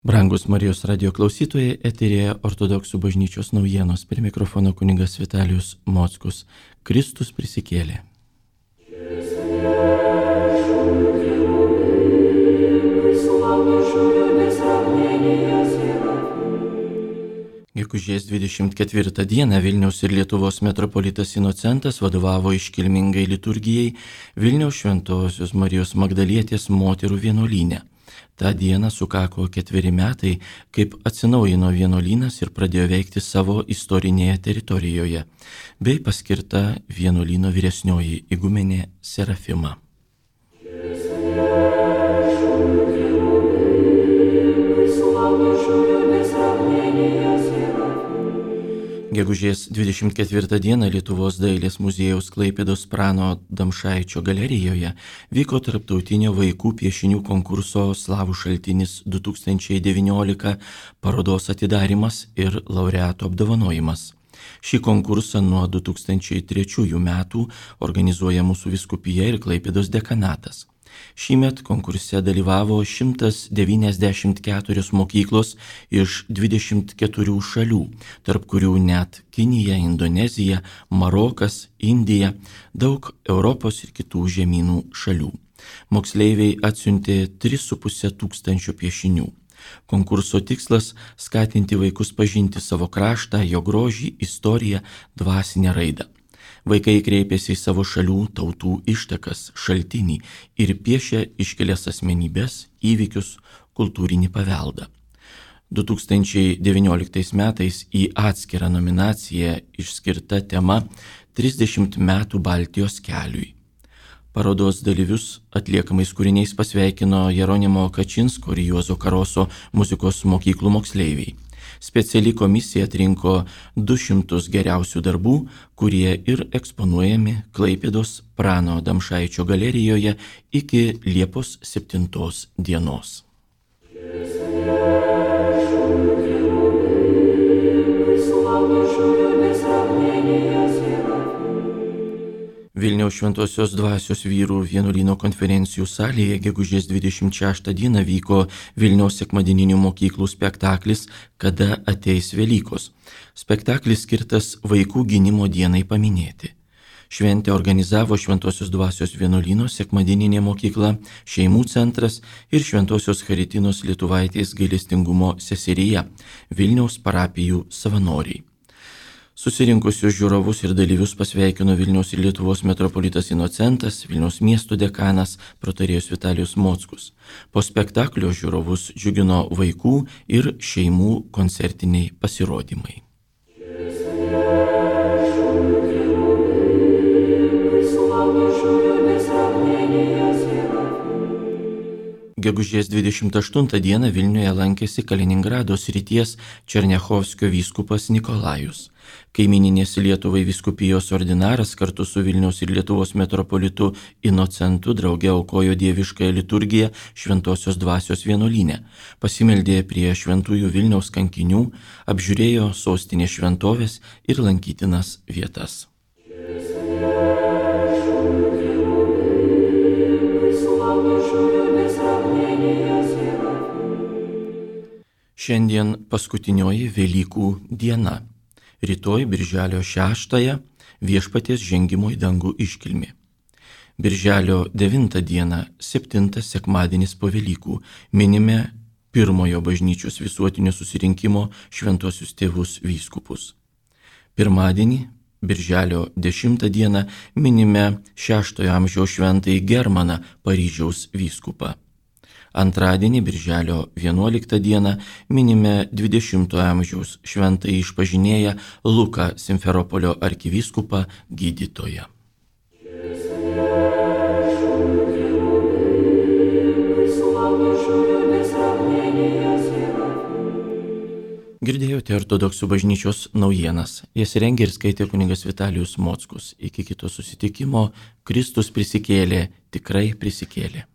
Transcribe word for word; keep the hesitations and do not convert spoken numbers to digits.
Brangus Marijos radio klausytojai, eterėje Ortodoksų bažnyčios naujienos, prie mikrofono kunigas Vitalijus Mockus. Kristus prisikėlė. Gegužės dvidešimt ketvirtą dieną Vilniaus ir Lietuvos metropolitas Inocentas vadovavo iškilmingai liturgijai Vilniaus Šventosios Marijos Magdalietės moterų vienuolyne. Ta diena sukako ketveri metai, kaip atsinaujino vienuolynas ir pradėjo veikti savo istorinėje teritorijoje, bei paskirta vienuolyno vyresnioji igumenė Serafima. Gegužės dvidešimt ketvirtą dieną Lietuvos dailės muziejaus Klaipėdos Prano Damšaičio galerijoje vyko tarptautinio vaikų piešinių konkurso Slavų šaltinis du tūkstančiai devyniolika parodos atidarymas ir laureatų apdovanojimas. Šį konkursą nuo du tūkstančiai trečiųjų metų organizuoja mūsų vyskupija ir Klaipėdos dekanatas. Šįmet konkurse dalyvavo šimtas devyniasdešimt keturios mokyklos iš dvidešimt keturių šalių, tarp kurių net Kinija, Indonezija, Marokas, Indija, daug Europos ir kitų žemynų šalių. Moksleiviai atsiuntė tris su puse tūkstančio piešinių. Konkurso tikslas – skatinti vaikus pažinti savo kraštą, jo grožį, istoriją, dvasinę raidą. Vaikai kreipėsi į savo šalių, tautų ištakas, šaltinį ir piešė iškelias asmenybės, įvykius, kultūrinį paveldą. du tūkstančiai devynioliktais metais į atskirą nominaciją išskirta tema trisdešimt metų Baltijos keliui. Parodos dalyvius atliekamais kūriniais pasveikino Jeronimo Kačinsko ir Juozo Karoso muzikos mokyklų moksleiviai. Speciali komisija atrinko du šimtus geriausių darbų, kurie ir eksponuojami Klaipėdos Prano Damšaičio galerijoje iki Liepos septintos dienos. Vilniaus Šventosios Dvasios vyrų vienuolyno konferencijų salėje gegužės dvidešimt šeštą dieną vyko Vilniaus sekmadieninių mokyklų spektaklis Kada ateis Velykos. Spektaklis skirtas vaikų gynimo dienai paminėti. Šventę organizavo Šventosios Dvasios vienuolyno sekmadieninė mokykla, šeimų centras ir Šventosios Charitinos Lietuvaitės gailestingumo seserija, Vilniaus parapijų savanoriai. Susirinkusius žiūrovus ir dalyvius pasveikino Vilniaus ir Lietuvos metropolitas Inocentas, Vilniaus miesto dekanas, protarėjas Vitalijus Mockus. Po spektaklio žiūrovus džiugino vaikų ir šeimų koncertiniai pasirodymai. Gegužės dvidešimt aštuntą dieną Vilniuje lankėsi Kaliningrado srities Černiachovskio vyskupas Nikolajus. Kaimininės Lietuvai vyskupijos ordinaras kartu su Vilniaus ir Lietuvos metropolitu Inocentu drauge aukojo dieviškąją liturgiją Šventosios Dvasios vienuolyne, pasimeldė prie šventųjų Vilniaus kankinių, apžiūrėjo sostinės šventovės ir lankytinas vietas. Šiandien paskutinioji Velykų diena. Rytoj birželio šeštąją Viešpaties žengimo į dangų iškilmė. Birželio devintą dieną, septintas sekmadienis po Velykų, minime pirmojo bažnyčios visuotinio susirinkimo šventuosius tėvus vyskupus. Pirmadienį, birželio dešimtą dieną, minime šeštojo amžiaus šventąjį Germaną, Paryžiaus vyskupą. Antradienį, birželio vienuoliktą dieną, minime dvidešimtojo amžiaus šventąjį išpažinėją Luką Simferopolio arkivyskupą gydytoją. Girdėjote Ortodoksų bažnyčios naujienas. Jas rengė ir skaitė kunigas Vitalijus Mockus. Iki kito susitikimo. Kristus prisikėlė, tikrai prisikėlė.